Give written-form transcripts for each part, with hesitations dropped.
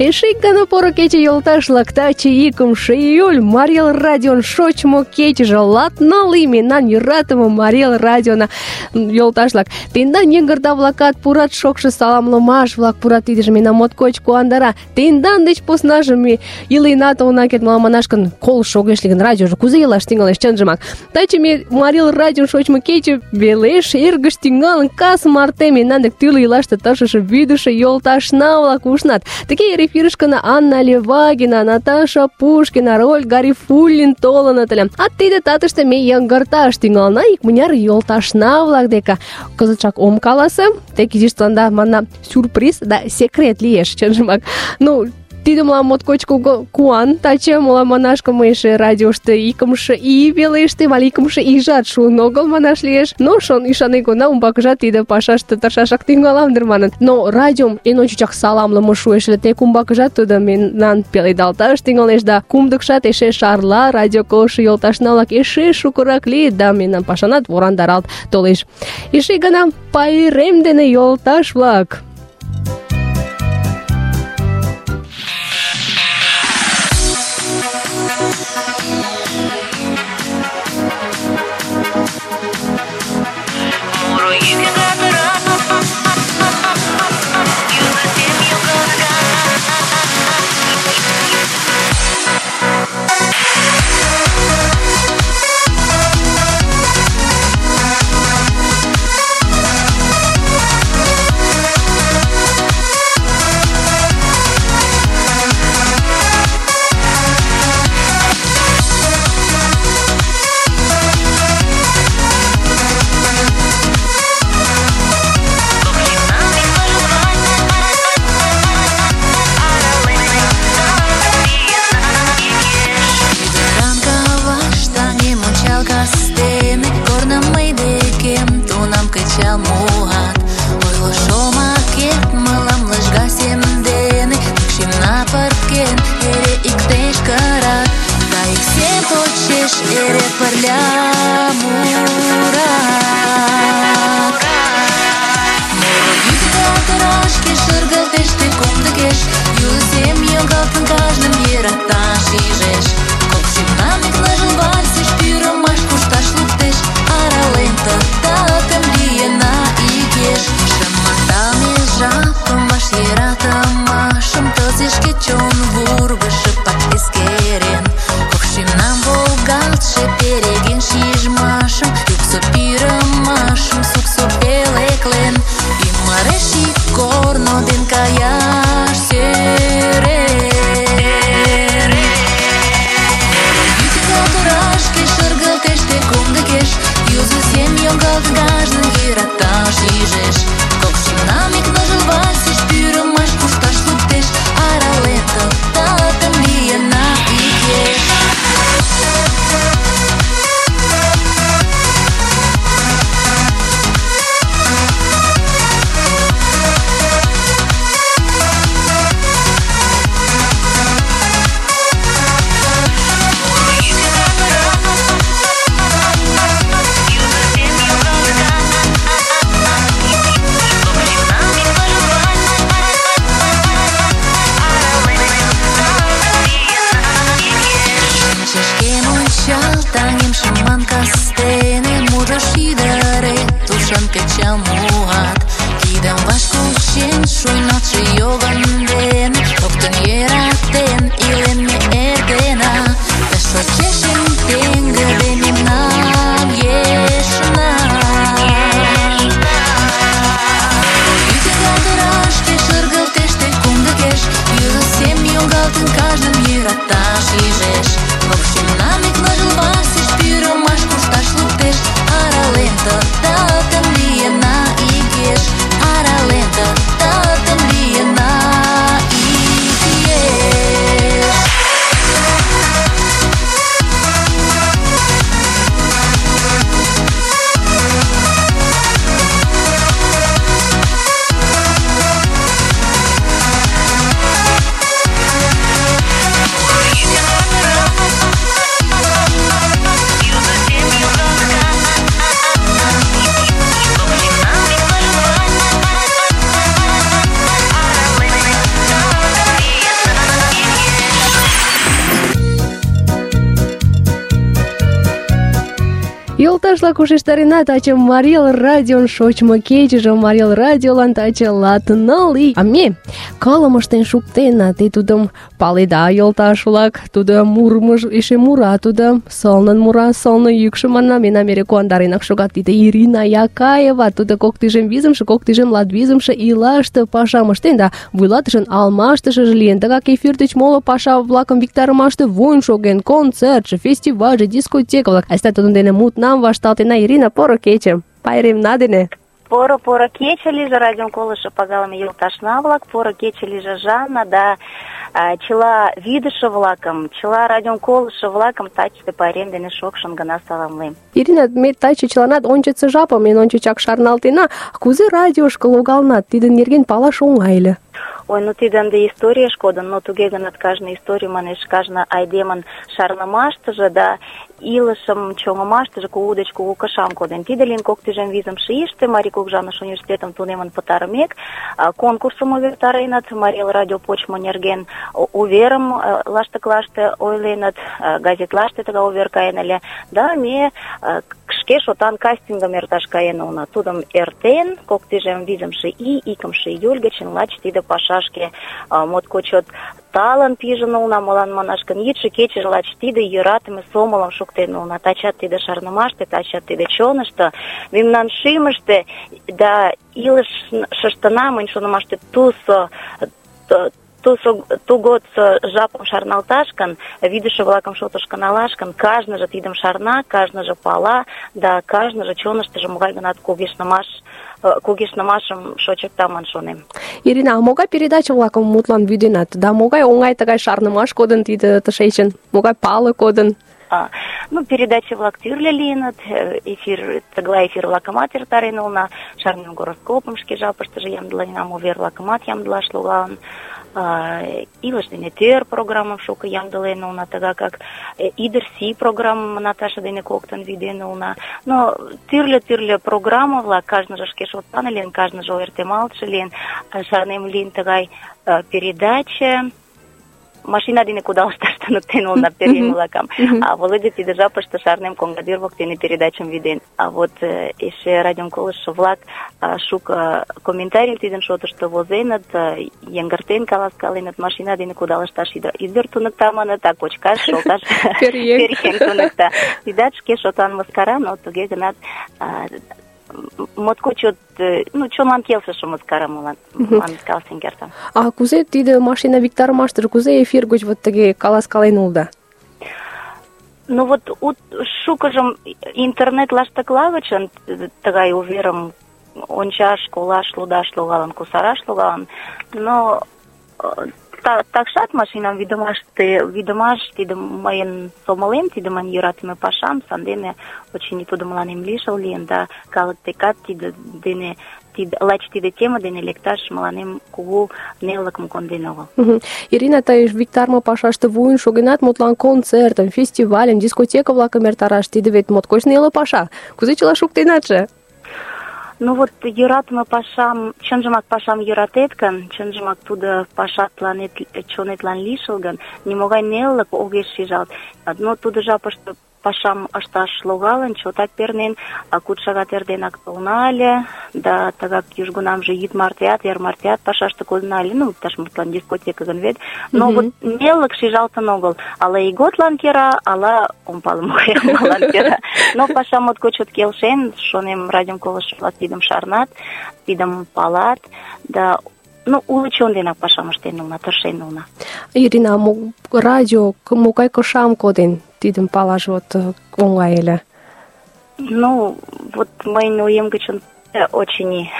Эше ик гана поро кече, йолташ-влак, таче 2 июль, Марий Эл радион шочмо кечыже, 14 мемнан йӧратыме Марий Эл радиона, йолташ-влак. Тендан йыҥгырда-влакат пурат, шокшо саламлымаш-влак пурат, тидыже мемнам моткоч куандара. Тендан деч поснаже ме иленат она керт, мылам манаш гын, колышт огеш лий гын, радиожо кузе илаш тӱҥалеш, чынжымак. Таче ме Марий Эл радион шочмо кече велеш эргыш тӱҥалын, кас марте мемнан дек тӱрлӧ илаште тыршыше вӱдышӧ йолташна-влак ушнат. Тыге эфирышкына Анна Левагина, Наташа Пушкина, Роль Гарифуллин толыныт ыле. А тиде татыште ме йыҥгырташ тӱҥалына икмыняр йолташна-влак деке. Кызытшак ом каласе, тек изиш тыланда манна сюрприз да секрет лиеш, чынжымак. Ну, тиде мылам моткоч куан. Таче мылам манаш гын, мый эше радиошто 2 ий велештем, але 2 ийжат шуын огыл манаш лиеш. Но ӱшанен гына, умбакыжат тиде пашаште тыршашак тӱҥалам дыр манын. Но радиом эн ончычак саламлыме шуэш ыле, тек умбакыжат тудо мемнан пеледалташ тӱҥалеш да кумдыкшат эше шарла, радио колышо йолташна-влак эше шукырак лийыт да мемнан пашанат ворандаралт толеш. Эше ик гана пайрем дене, йолташ-влак! Аралента, татам лиена и Йолташ-влак, ушештарена таче Марий радион шочмо кечыже, Марий радиолан таче латныл ий. А ме кылым ыштен шуктенна, те тудым паледа, йолташ-влак. Тудо мурмыж эше мура, тудо сылнын мура, сылне йӱкшӧ манна, мемнам эре куандаренак шогат. Тиде Ирина Якаева, тудо 2025-2025 ийлаште пашам ыштен да вуйлатышын алмаштышыже лийын. Тыгак эфир деч моло паша-влакым виктарымаште вуйын шоген, концертше, фестивальже, дискотека-влак. Айста тудын дене мутнам вашталтена. Ирина, поро кече, пайремна дене. Поро кече лийже радион колышо пагалыме йолташна-влак, поро кече лийже Жанна да чыла вӱдышӧ-влакым, чыла радион колышо-влакым тачысе пайрем дене шокшын гына саламлем. Ирина, ме таче чыланат ончыцо жапым эн ончычак шарналтена. Кузе радиошко логалнат, тидын нерген палаш оҥай ыле. Ой, ну тиде ынде историеш кодын, но туге гынат кажне историй манеш, кажне айдемын шарнымаштыже да илышым чоҥымаштыже кугу деч кугу кышам коден. Тиде лийын 2025 ийыште Марий Кугыжаныш университетым тунемын пытарымек, конкурсым увертареныт, Марий радио почмо нерген уверым лаштыклаште ойленыт, газетлаште тыгай увер каен ыле, да ме шке шотан кастингым эрташ каен улына. Тудым эртен 2025 ий 2 июль гычын лач тиде пашашке моткоч чот талын пижын улына, молан манаш гын, йӱдшӧ кечыже лач тиде йӧратыме сомылым шуктен улына. Тачат тиде шарнымаште, тачат тиде чонышто, мемнан шӱмыштӧ да илышыштына, мыйын шонымаште, тугодсо жапым шарналташ гын, вӱдышӧ-влакым шотышко налаш гын, кажныже тидым шарна, кажныже пала, да кажныже чоныштыжо могай-гынат кугешнымашым шочыкта ман шонем. Ирина, а могай передача-влакым мутлан вӱденат? Да могай оҥай тыгай шарнымаш кодын тиде тышечын? Могай пале кодын? Ну, передача-влак тӱрлӧ лийыныт, тыглай эфир-влакымат эртарен улына, шарнем гороскопым шке жапыштыже ямдыленам, увер-влакымат ямдылаш логалын, илыш дене тӧр программым шуко ямдылен улына, тыгакак Ӱдыр-сий программым Наташа дене коктын вӱден улына. Но тӱрлӧ программа-влак, кажныже шке шотлан лийын, кажныже ойыртемалтше лийын, шарнем лийын тыгай передача, машина дене кудалышташ туныктен улына пӧръеҥ-влакым. А Володя тиде жапыште шарнем коҥгадӱр воктене передачым вӱден. А вот эше радион колыштшо-влак шуко комментарийым тидын шотышто возеныт, йыҥгыртен каласкаленыт, машина дене кудалышташ ӱдыр туныкта маныт, а кочкаш, шолташ пӧръеҥ туныкта. Тидат шке шотлан мыскара, но туге гынат моткоч чот, чонлан келшыше мыскара молан манын каласен кертам. А кузе тиде машина виктарымаштыже, кузе эфир гоч вот тыге каласкален улыда? Ну вот шукыжым интернет лаштыкла гычын тыгай уверым ончаш, колаш, лудаш логалын, кусараш логалын, но такшат машинам вӱдымаш тиде мыйын сомылем, тиде мыйын йӧратыме пашам, сандене очыни тудо мыланем лишыл лийын, да калык декат лач тиде тема дене лекташ мыланем кугу нелылыкым конден огыл. Ирина, тый виктарме пашаште вуйын шогенат, мутлан концертым, фестивальым, дискотека-влакым эртараш, тиде вет моткоч неле паша. Кузе чыла шуктенатше? Ну вот йӧратыме пашам, чынжымак пашам йӧратет гын, чынжымак тудо паша тыланет, чонетлан лишыл гын, нимогай нелылык огеш шижалт. Но тудо жапыште пашам ышташ логалын, чотак пернен, 6 шагат эрденак толна ыле, да тыгак южгунамже йӱд мартеат, эр мартеат пашаште кодына ыле, иктаж мутлан дискотека гын вет. Но вот нелылык шижалтын огыл. Ала ийготлан кера, ала ом пале молан кера. Но паша моткоч чот келшен, шонем, радиом колыштшо-влак тидым шарнат, тидым палат, да уло чон денак пашам ыштен улына, тыршен улына. Ирина, радио могай кышам коден? Тидым палаш вот оҥай ыле. Ну, вот мыйын оем гычын очыни,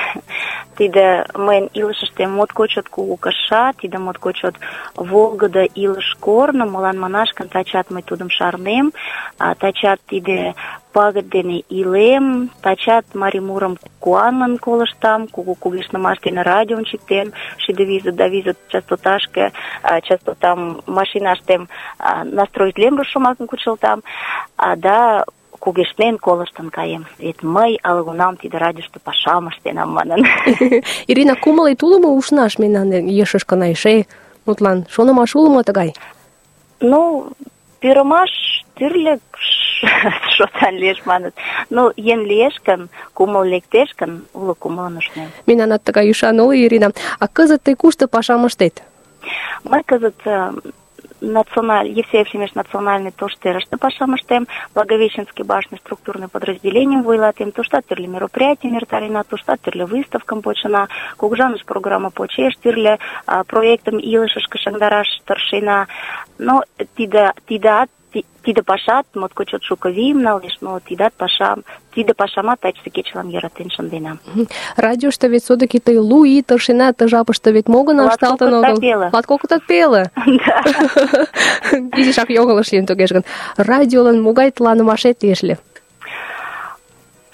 тиде мыйын илышыште моткоч чот кугу кыша, тиде моткоч чот волгыдо илыш корно, молан манаш гын, тачат мый тудым шарнем, тачат тиде пагыт дене илем, тачат марий мурым куанлын колыштам, кугу кугешнымаш дене радиом чиктем, 620 частоташке, частотам машинаштем настроитлем шомакым кучылтам, да кугешнен колыштын каем. Вет мый ала-кунам тиде радиошто пашам ыштенам манын. Ирина, кумылет уло мо ушнаш мемнан ешышкына эше? Мутлан, шонымаш уло мо тыгай? Ну, пӱрымаш тӱрлӧ шотан лиеш маныт. Ну, еҥ лиеш гын, кумыл лектеш гын, уло кумылын ушнем. Мемнанат тыгай ӱшан уло, Ирина. А кызыт тый кушто пашам ыштет? Мый кызыт Евсеев Семеш национальный тоштерыште пашам ыштем, Благовещенский башный структурный подразделением вуйлатем, туштат тӱрлӧ мероприятий эртарена, туштат тӱрлӧ выставкым почына, кугыжаныш программа почеш, тӱрлӧ проектым илышышке шыҥдараш тыршена. Но тиде пашат моткоч чот шуко вийым налеш, но тиде пашамат тачысе кечылан йӧратен шынденам. Радиошто вет все-таки тый 2 ий тыршенат, ты жапыште вет мо гына ышталтын огыл. 20 пеле. Да. Изишак йоҥылыш лийын тугеже гын. Радиолан могай тланымашет лиеш ыле?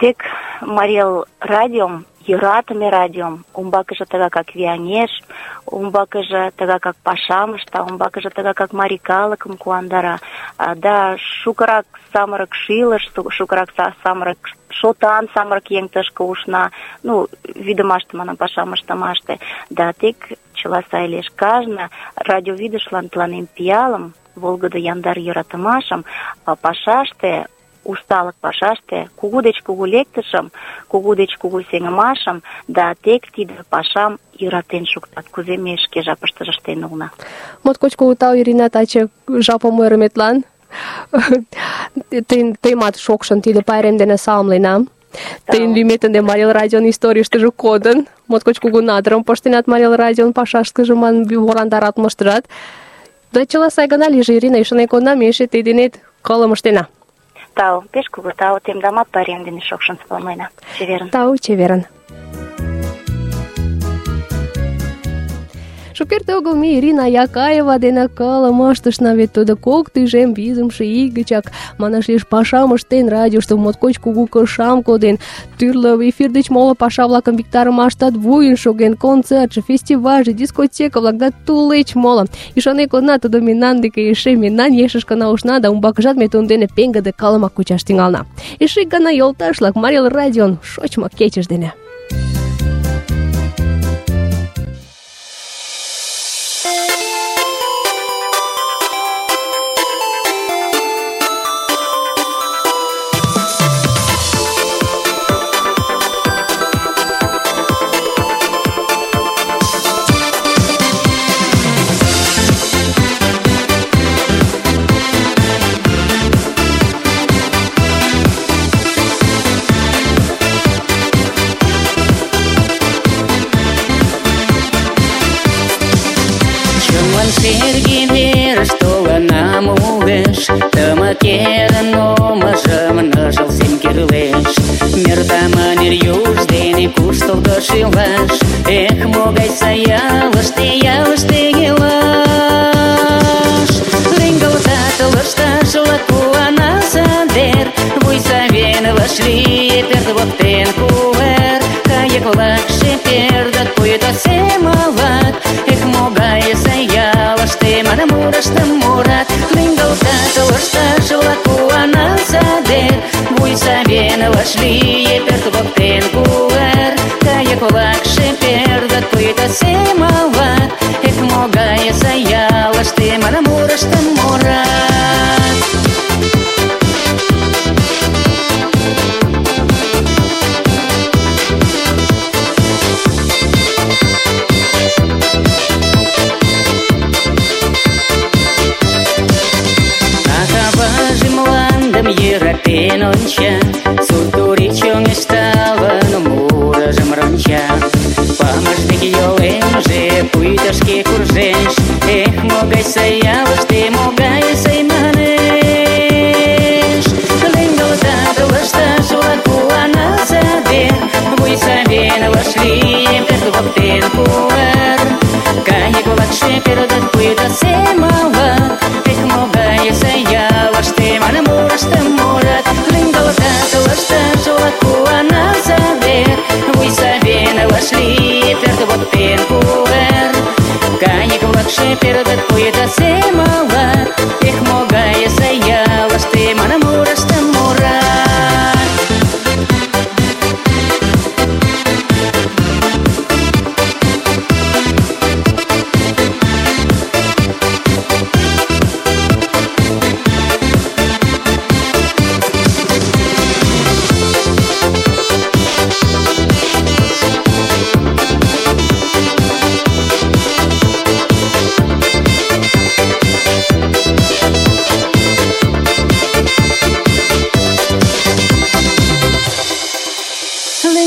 Тек Марий радиом, йӧратыме радиом, умбакыже тыгакак вияҥеш, умбакыже тыгакак пашам ышта, умбакыже тыгакак марий калыкым куандара. Да шукырак самырык шилыш, шукырак самырык шотан самырык еҥ тышке ушна, ну, вӱдымаште, манам, пашам ыштымаште. Да тек чыла сай лиеш. Кажне радиовӱдышлан тыланем пиалым, волгыдо яндар йӧратымашым, пашаште, усталык пашаште, кугу деч кугу лектышым, кугу деч кугу сеҥымашым, да тек тиде пашам йӧратен шуктат, кузе ме шке жапыштыже ыштен улына. Моткоч кугу тау, Ирина, таче жапым ойырыметлан. Тыйымат шокшын тиде пайрем дене саламленам. Тыйын лӱмет ынде Марий радион историйыштыже кодын. Моткоч кугу надырым пыштенат Марий радион пашашкыже, ман ворандаратмыштыжат. Да чыла сай гына лийже, Ирина, ӱшанен кодна, ме эше тый денет кылым ыштена. Тау, пеш кугу тау, темдамат пайрем дене шокшын саламлена. Чеверын. Тау, чеверын. Шукерте огыл ме Ирина Якаева дене кылым ыштышна, вет тудо 2 тӱжем визымше ий гычак, манаш лиеш, пашам ыштен, радиошто моткоч кугу кышам коден, тӱрлӧ эфир деч моло паша-влакым виктарымаштат вуйын шоген, концертше, фестивальже, дискотека-влак да тулеч моло. Ӱшанен кодна, тудо мемнан деке эше мемнан ешышкына ушна, да умбакыжат ме тудын дене пеҥгыде кылымак кучаш тӱҥална. Эше ик гана, йолташ-влак, Марий радион шочмо кечыж дене. Серги верыш толынам улеш, тымыкерын омыжым ныжыл сем кӱрлеш. Мерта мынер юж дене куштылго шӱлаш, эх, могай сай ялыште илаш. Лӱҥгалтат лышташ-влак куана садер, вуй савен вашлие пӧрт воктен кувер. Кайык-влакше пӧрдыт пуйто семалат, эх, могай сай ялыште манын мурыштым мурат. Лӱҥгалтат лышташ-влак куана садер, вуй савен вашлие пӧрт воктен кувер. Кайык-влакше пӧрдыт пуйто семалат, эх, могай сай ялыште манын мурыштым мурат. Йӧратен онча, сурт-турий чоҥешталын, мурыжым ронча. Памыж дек йолемже пуйто шке куржеш, эх, могай сай ялыште, могай сай манеш. Лӱҥгалтат лышташ-влак куана садер, вуй савен вашлие пӧрт воктен кувер. Кайык-влакше пӧрдыт пуйто семалат, эх, могай сай ялыште манын мурыштым мурат. Лӱҥгалтат лышташ-влак куана садер, вуй савен вашлие пӧрт воктен кувер. Кайык-влакше пӧрдыт пуйто семалат, эх, могай сай ялыште манын мурыштым мурат.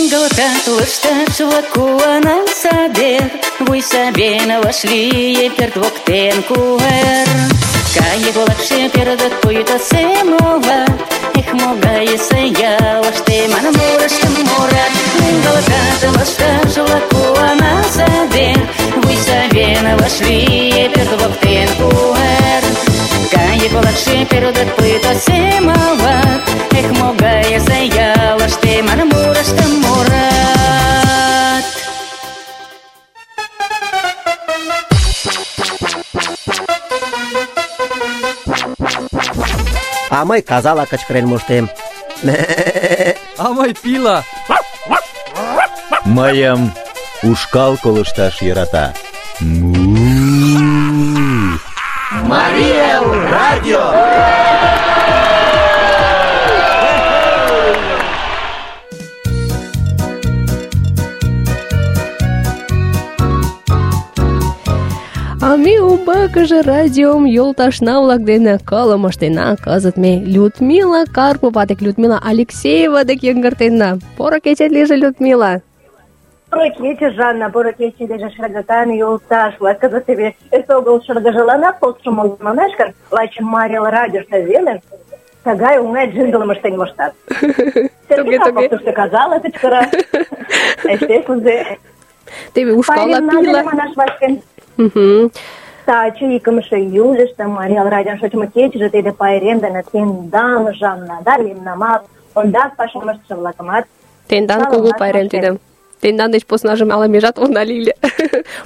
лӱҥгалтат лышташ-влак куанан садер, вуй савен вашлие пӧрт воктен кувер. Кайык-влакше пӧрдыт пуйто семоват, эх, могай сай ялыште манын мурыштым мурат. Лӱҥгалтат лышташ-влак куанан садер, вуй савен вашлие пӧрт воктен кувер. Кайык-влакше пӧрдыт пуйто семоват, эх, могай сай ялыште манын мурыштым мурат. А мый казала кычкырен моштем. А мый пила. Мыйым ушкал колышташ йӧрата. Мария радио. А ме умбакыже радиом йолташна-влак дене кылым ыштена. Кызыт ме Людмила Карпова дек, Людмила Алексеева дек йыҥгыртена. Поро кечет лийже, Людмила. Поро кече, Жанна, поро кече лийже, шергакан йолташ-влак. Кызыт теве эсогыл шыргыжланак полшымо манаш гын, лач Марий радиошто веле тыгай оҥай джинглым ыштен моштат. Сергей Карповышто казала кычкыра. Эше кузе. Теве ушкалла пила. Манаш вашкен. Таче 2 июльыште Марий радион шочмо кечыже тиде пайрем дене тендан, Жанна, да мемнамат, ондак пашам ыштыше-влакымат Тендан кугу пайрем тиде. Тендан деч поснаже ала межат она лийле.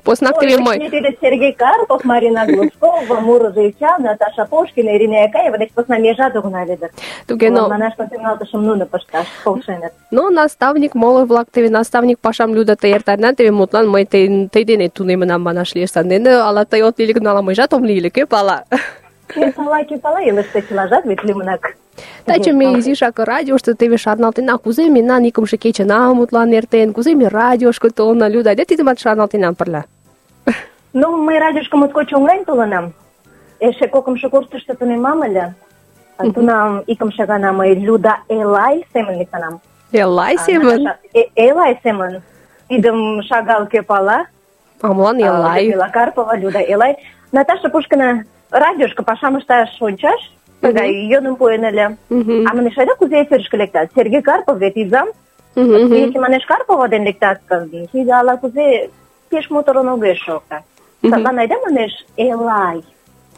Поснак теве мый. Тиде Сергей Карпов, Марина Глушкова, Муроза Ичан, Наташа Пушкина, Ирина Якаева деч посна межат огына лиде. Туге, но... Манаш тӱҥалтышым нуно пышташ полшеныт. Но наставник, моло-влак, теве наставник пашам лӱдыт эртарена, теве мутлан мый тый денет тунемынам манаш лиеш. Сандене ала тый от лий гын, ала мыйжат ом лий ыле, кӧ пала. Кӧ пала, илыште чылажат вет лӱмынак. Таче ме изишак радиошто теве шарналтена, кузе мемнан 2 кечына мутлан эртен, кузе ме радиошко толна, Люда, айда тидымат шарналтена пырля. Ну, мый радиошко моткоч оҥайын толынам. Эше 2 курсышто тунемам ыле. Тунам 2 гана мый Люда Элай семын лектынам. Элай семын? Элай семын. Тидым шагал кӧ пала. А молан Элай? Людмила Карпова, Люда Элай. Наташа Пушкина радиошко пашам ышташ ончаш, тыгай йӧным пуэн ыле. А манеш, айда кузе эфирышке лектат? Сергей Карпов вет изам. Если манеш Карпова ден лектат гын, тиде ала-кузе пеш моторын огеш шокта. Садлан айда манеш Элай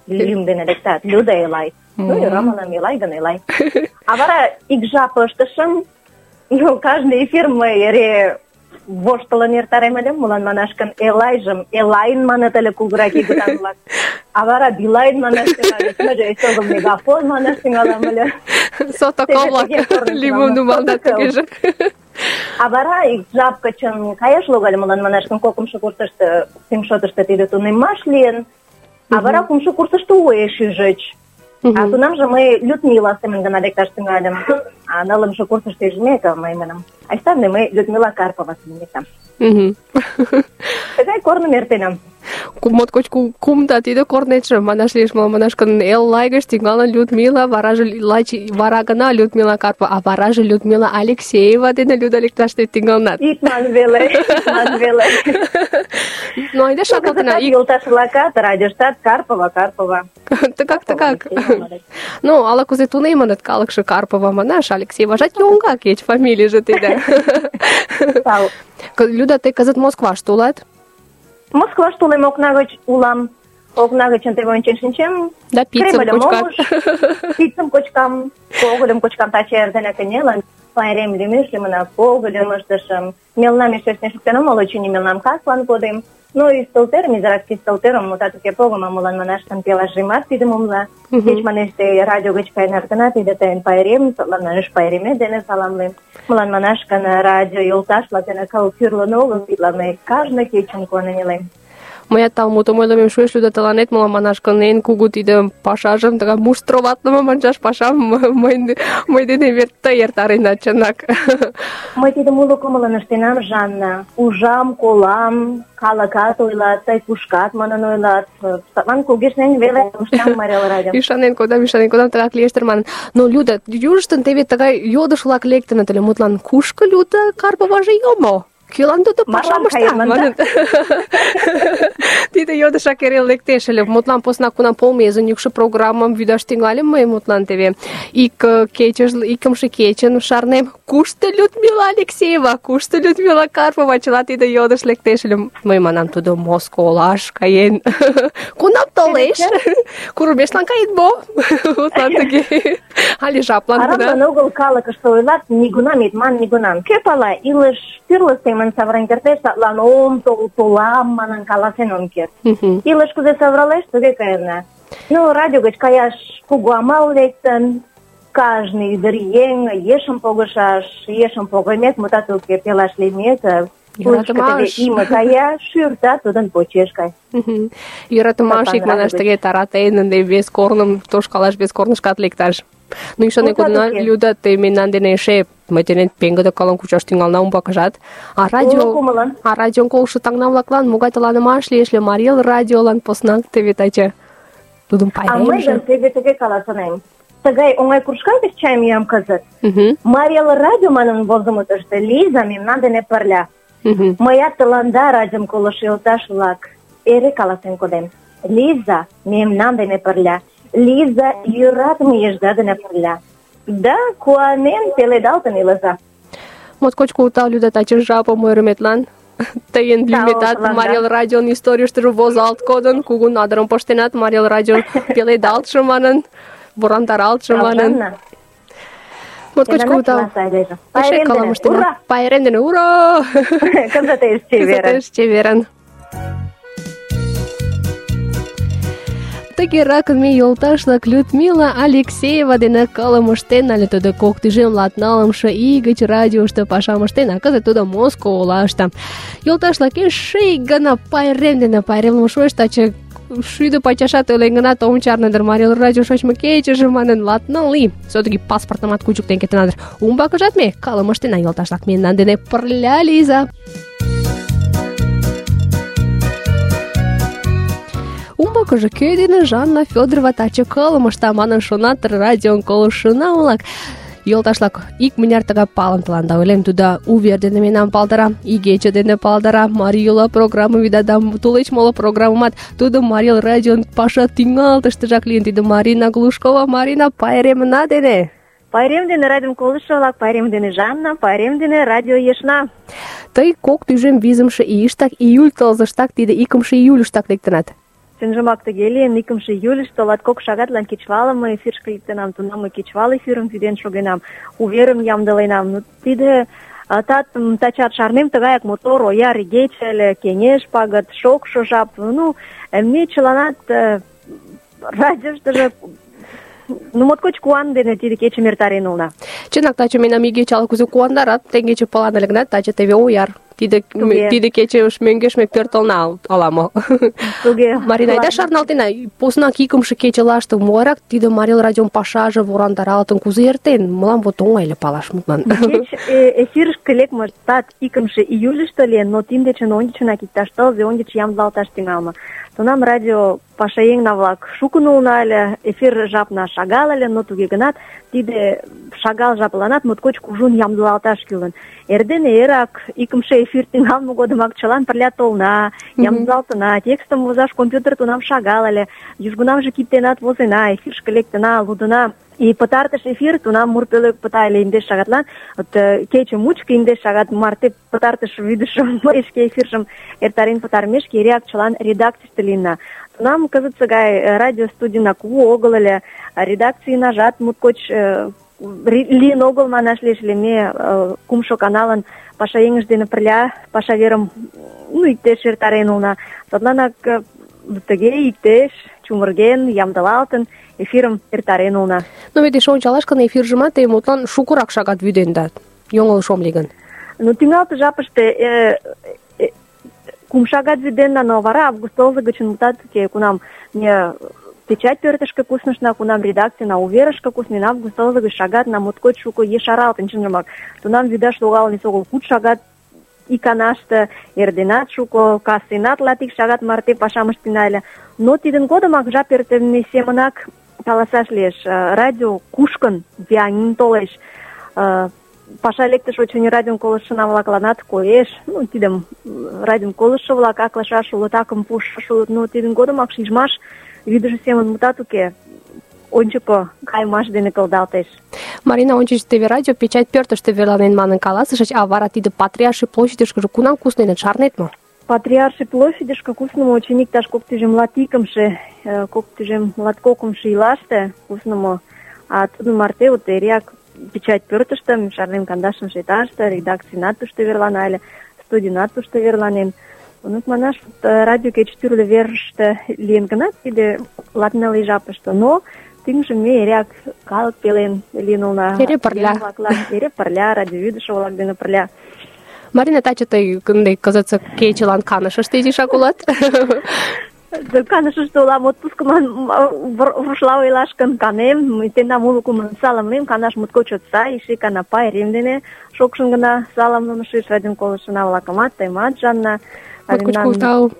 лӱм дене лектат, Люда Элай. Ну, йӧра, манам, Элай гын Элай. А вара ик жап ыштышым, кажне эфир мый эре воштылын эртарем ыле, молан манаш гын Элайжым Элайын маныт ыле кугурак игытан-влак. А вара Билайн манаш тӱҥальыч, мыйже эсогыл Мегафон манаш тӱҥалам ыле. Сотоко-влак лӱмым нумалдат тугеже. А вара ик жап гычын каяш логале, молан манаш гын 2 курсышто тӱҥшотышто тиде тунемаш лийын. А вара 3 курсышто уэш ӱжыч. А тунамже мый Людмила семын гына лекташ тӱҥальым. А 4 курсышто ӱжмеке мый манам, айста ынде мый Людмила Карпова семын лектам. Тыгай корным эртенам. Моткоч кумда тиде корнетше, манаш лиеш, манаш гын Эллай гыч тӱҥалын Людмила, вараже лач вара гына Людмила Карпова, а вараже Людмила Алексеева дене Люда лекташ тӱҥалынат. Ик ман веле. Ну, айда шарналтена. Йолташ-влакат радиоштат Карпова. Тыгак. Ну, ала-кузе тунемыныт калыкше Карпова манаш, Алексееважат йоҥга кеч фамилийже тиде. Люда, тый кызыт Москваште улат? Москваште улам, окна гыч улам. Окна гычын теве ончен шинчем. Да пиццым кочкат. Пиццым кочкам, когыльым кочкам, таче эрдене кынелын. Пайрем лӱмеш лӱмынак когыльым ыштышым. Мелнам эше ыштен шуктен омыл, очыни мелнам каслан кодем. Ну, ӱстелтӧрым, изирак ӱстелтӧрым, мутат уке, погымо, молан манаш гын пелашемат тидым умла. Кеч манеш тый радио гыч каенат гына, тиде тыйын пайрем, садлан манеш пайремет дене саламлем. Молан манаш гын радио йолташ-влак дене кыл тӱрлын огыл, тидлан мый кажне кечын куанен илем. Мыят талмутым ойлымем шуэш, Люда, тыланет мылам манаш гын, эн кугу тиде пашажым, тыгай муштроватлыме манчаш пашам мый денем вет тый эртаренат, чынак. Мый тидым уло кумылын ыштенам, Жанна. Ужам, колам, калыкат ойлат, тый кушкат манын ойлат. Садлан кугешнен веле коштам Марий радио. Ӱшанен кодам, тыгак лиеш дыр манын. Но, Люда, южыштын теве тыгай йодыш-влак лектыныт ыле, мутлан, кушко Люда Карповаже йомо? Кӧлан тудо пашам ышта? Маныт. Тиде йодышак эре лектеш ыле. Мутлан посна кунам полмезын йӱкшӧ программам вӱдаш тӱҥальым мый, мутлан теве икымше кечын шарнем. Кушто Людмила Алексеева, кушто Людмила Карпова? Чыла тиде йодыш лектеш ыле. Мый манам, тудо Моско олаш каен. Кунам толеш? Курымешлан кает мо? Мутлан тыге. Але жаплан гына. Арам огыл калыкыште ойлат, нигунам ит ман, нигунам. Кӧ пала, илыш тӱрлӧ семын савырен кертеш, садлан ом толам манын каласен ом керт. Илыш кузе савыралеш, туге каена. Ну, радио гыч каяш кугу амал лектын, кажне ӱдыръеҥ ешым погышаш, ешым погымек, мутат уке, пелаш лиймек, пушкыдо име кая, шӱрта тудын почеш кай. Йӧратымаш икманаш тыге таратен, ынде вес корным тошкалаш, вес корнышкат лекташ. Ну, ӱшанен кодына, Люда, тый мемнан дене эше мый денет пеҥгыде кылым кучаш тӱҥална умбакыжат. А радион колышо таҥна-влаклан могай тыланымаш лиеш ыле Марий Эл радиолан поснак теве таче тудын пайремже. А мый гын теве тыге каласынем. Тыгай оҥай кружка гыч чайым йӱам кызыт. Марий Эл радио манын возымо тыште Лиза мемнан дене пырля. Мыят тыланда радиом колышо йолташ-влак эре каласен кодем. Лиза мемнан дене пырля. Лиза йӧратыме ешда дене пырля. Да, куанен пеледалтын илыза. Моткоч кугу тау, Люда, таче жапым ойырыметлан. Тыйын лӱметат Марий Эл радион историйыштыже возалт кодын, кугу надырым пыштенат, Марий Эл радион пеледалтше манын, ворандаралтше манын. Моткоч кугу тау. Эше кылым ыштена. Пайрем дене, ура! Кызытеш чеверын. Тыгеракын ме йолташ-влак Людмила Алексеева дене кылым ыштен, але тудо кок тӱжем латнылымше ий гыч радиошто пашам ыштен, а кызыт тудо Моско олаште. Йолташ-влак, эше ик гана пайрем дене пайремлыме шуэш, таче шӱдӧ пачашат ойлен гынат, ом чарне дыр Марий Эл радио шочмо кечыже манын, латныл ий. Все-таки паспортымат кучыктен кертына дыр. Умбакыжат ме кылым ыштена, йолташ-влак, мемнан дене пырля лийза. Умбакыже кӧ дене Жанна Фёдорова таче кылым ышта манын шонат радион колышына-влак. Йолташ-влак, икмыняр тыгай палым тыланда ойлем, тудо увер дене мемнам палдара, игече дене палдара, Марий Йола программа вида да тулеч моло программымат тудо Марий Эл радион паша тӱҥалтыштыжак лийын. Тиде Марина Глушкова, Марина, пайремна дене. Пайрем дене радиом колышо-влак, пайрем дене Жанна, пайрем дене радио ешна. Тый кок тӱжем визымше ийыштак, июль тылзыштак, тиде икымше июльыштак лектынат. Чынжымак тыге лийын, 2 июльышто латкок шагатлан кечывалым мый эфирышке лектынам, тунам мый кечывал эфирым вӱден шогенам, уверым ямдыленам. Ну, тиде татым тачат шарнем, тыгаяк мотор, ояр игече ыле, кеҥеж пагыт, шокшо жап. Ну, ме чыланат радиоштыжо моткоч куан дене тиде кечым эртарен улына. Чынак, таче мемнам игече ала-кузе куандарат, теҥгече палан ыле гынат, таче теве ояр. Тиде кече мӧҥгеш ме пӧртылна ала-мо. Марина, айда шарналтена, поснак икымше кечылаште могайрак тиде Марий Эл радион пашаже ворандаралтын, кузе эртен? Мылам вот оҥай ыле палаш, мутлан. Кеч эфирышке лекмыштат 2 июльышто лийын, но тиддечын ончычынак иктаж тылзе ончыч ямдылалташ тӱҥалме. Тунам радио пашаеҥна-влак шукын улына ыле, эфир жапна шагал ыле, но туге гынат тиде шагал жапланат моткоч кужун ямдылалташ кӱлын. Эрдене эрак икымше эфир тӱҥалме годымак чылан пырля толна, ямдылалтына, текстым возаш компьютер тунам шагал ыле, южгунамже кидденат возена, эфирышке лектына, лудына. И пытартыш эфир тунам мур пӧлек пыта ыле 10 шагатлан, кече мучко 10 шагат марте пытартыш вӱдышым, шке эфиржым эртарен пытарымешке эреак чылан редакцийыште лийна. Тунам кызытсе гай радио студийна кугу огыл ыле, редакцийнажат моткоч лийын огыл манаш лиеш ыле. Ме кумшо каналын пашаеҥышт дене пырля паша верым иктеш эртарен улына. Садланак тыге иктеш чумырген, ямдылалтын эфирым эртарен улына. Но вет эше ончалаш гын, эфиржымат тый мутлан шукырак шагат вӱденда. Йоҥылыш ом лий гын. Ну, тӱҥалтыш жапыште кум шагат вӱденна, но вара август тылзе гычын мутат уке, кунам ме печать пӧртышкӧ куснышна, кунам редакцийна уверышке куснен, август тылзе гыч шагатна моткоч шуко ешаралтын, чынжымак. Тунам вӱдаш логалын эсогыл 6 шагат иканаште, эрденат шуко, кастенат латик шагат марте пашам ыштена ыле. Но тидын годымак жап эртыме семынак каласаш лиеш. Радио кушкын, вияҥын толеш. Паша лектыш, очыни, радион колыштшына-влакланат коеш. Ну, тидым радион колыштшо-влак аклашаш улыт, акым пуштшаш улыт. Но тидын годымак шижмаш вӱдыжӧ семын мутат уке. Ончыко кайымаш дене кылдалтеш. Марина, ончыч теве радио печать пӧртыштӧ верланен манын каласышыч, а вара тиде Патриарший площадьышкыже кунам кусненыт, шарнет мо? Патриарший площадьышке куснымо, очыни, иктаж 2021-2022 ийлаште куснымо. А тудын марте вот эреак печать пӧртыштӧ, шарнем, 15-ші этажыште, редакцийнат тушто верлана ыле, студийнат тушто верланен. Ну, манаш, радио кеч тӱрлӧ верыште лийын гынат, тиде латныл жапыште, но тӱҥжым ме эреак калык пелен лийын улына. Эре пырля. Эре пырля, радиовӱдышӧ-влак дене пырля. Марина, таче тый кызытсе кечылан Канышыште изишак улат? Канышыште улам, отпускыман рушла ойлаш гын, канем, тендам уло кумылын саламлем, Канаш моткоч чот сай, эше икана пайрем дене шокшын гына саламлымышыш, радион колыштшына-влакымат, тыйымат, Жанна. Моткоч тау.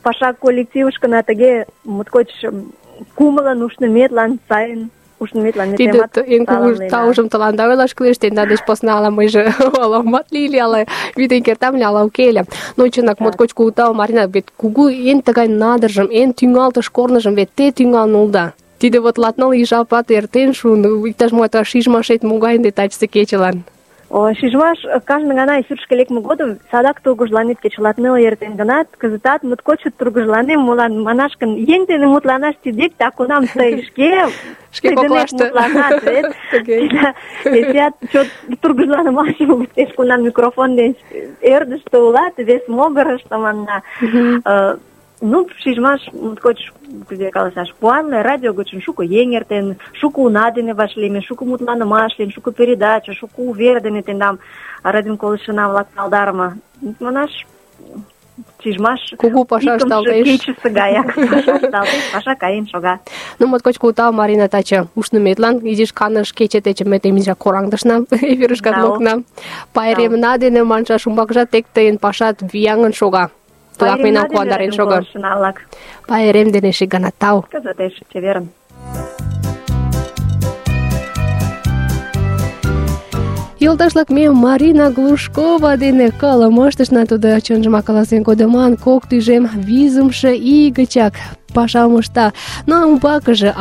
Паша коллективышкына тыге моткоч кумылын, ушныметлан, сайын ушныметлан метемат саламлена. Тиде эн кугу таужым тыланда ойлаш кӱлеш, тендан деч посна ала мыйже аламат лийыле, ала вӱден кертам ыле, ала уке ыле. Но чынак, моткоч кугу тау, Марина, вет кугу эн тыгай надыржым, эн тӱҥалтыш корныжым вет те тӱҥалын улыда. Тиде вот латныл ий жапат эртен шуын, иктаж-мо шижмашет могай ынде тачысе кечылан? Шижмаш кажне гана эфирышке лекме годым садак тургыжланет, кеч латныл ий эртен гынат, кызытат моткоч тургыжланем, молан манаш гын, еҥ дене мутланаш тидек, да кунам тый шке коклаште мутланат, вет. Эсеат чот тургыжланымашым луктеш, кунам микрофон деч ӧрдыжтӧ улат, вес могырышто манна. Ну, шижмаш моткоч, кузе каласаш, куанле, радио гычын шуко еҥ эртен, шуко уна дене вашлийме, шуко мутланымаш лийын, шуко передача, шуко увер дене тендам радион колыштшына-влак палдарыме. Манаш, шижмаш кугу паша ышталтеш. Кечысе гаяк паша ышталтеш, паша каен шога. Ну, моткоч кугу тау, Марина, таче ушныметлан, изиш Каныш кече дечын ме тыйым изишак кораҥдышна, эфирышкат лукна. Пайремна дене маншаш, умбакыжат тек тыйын пашат вияҥын шога. Тулак мемнам куандарен шога. Пайрем дене эше гана тау. Кызытеш чеверын. Йолташлак, ме Марина Глушкова дене кылымыштышна, тудо чынжымак каласен кодыман, кок тӱжем визымше ий гычак пашам ышта. Но умбакыже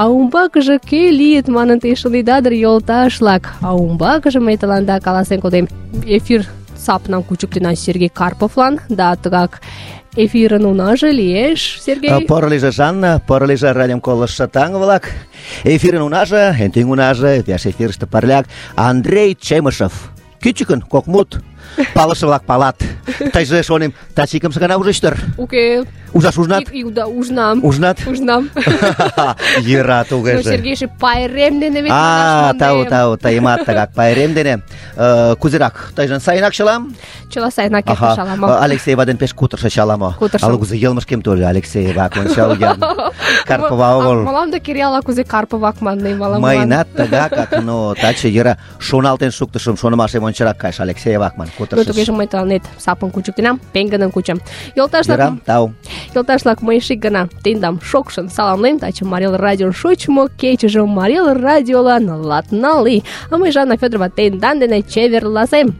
кӧ лийыт манын те шонеда дыр, йолташлак. А умбакыже мый тыланда каласен кодем. Эфир сапнам кучыктена Сергей Карповлан, да тыгак эфирын унаже лиеш, Сергей. Поро лийже, Жанна, поро лийже радиом колыштшо таҥ-влак. Эфирын унаже, эн тӱҥ унаже, пеш эфирыште пырляк Андрей Чемышев. Кӱчыкын кок мут. Палыше-влак палат. Тыйже, шонем, таче икымше гана ужыч дыр? Уке. Ужаш ужнат? Ужнам. Ужнат? Ужнам. Йӧра тугеже. Сергейже пайрем дене вет манаш мондем. Тау, тыйымат тыгак пайрем дене. Кузерак, тыйжын сайынак чылам? Чыла сайынак эртыш ала-мо. Алексеева ден пеш кутырышыч ала-мо. Кутырышым. Ала кузе йылмышкем тольо Алексеева кончалген. Карпова огыл. Мылам да Кири ала кузе Карповак маннем, ала-молан. Мыйынат тыгакак, но таче йӧра шоналтен шуктышым, шонымашем ончырак кайыш Алексеевак ман кутырышыч. Ну, тугеже мый тыланет сапым кучыктенам, пеҥгыдын кучам. Йӧра, тау. Йолташлак, мый эше ик гана тендам шокшын саламлем. Таче Марий Эл радион шочмо кечыже Марий Эл радиолан латныл ий. А мый, Жанна Фёдорова, тендан дене чеверласем.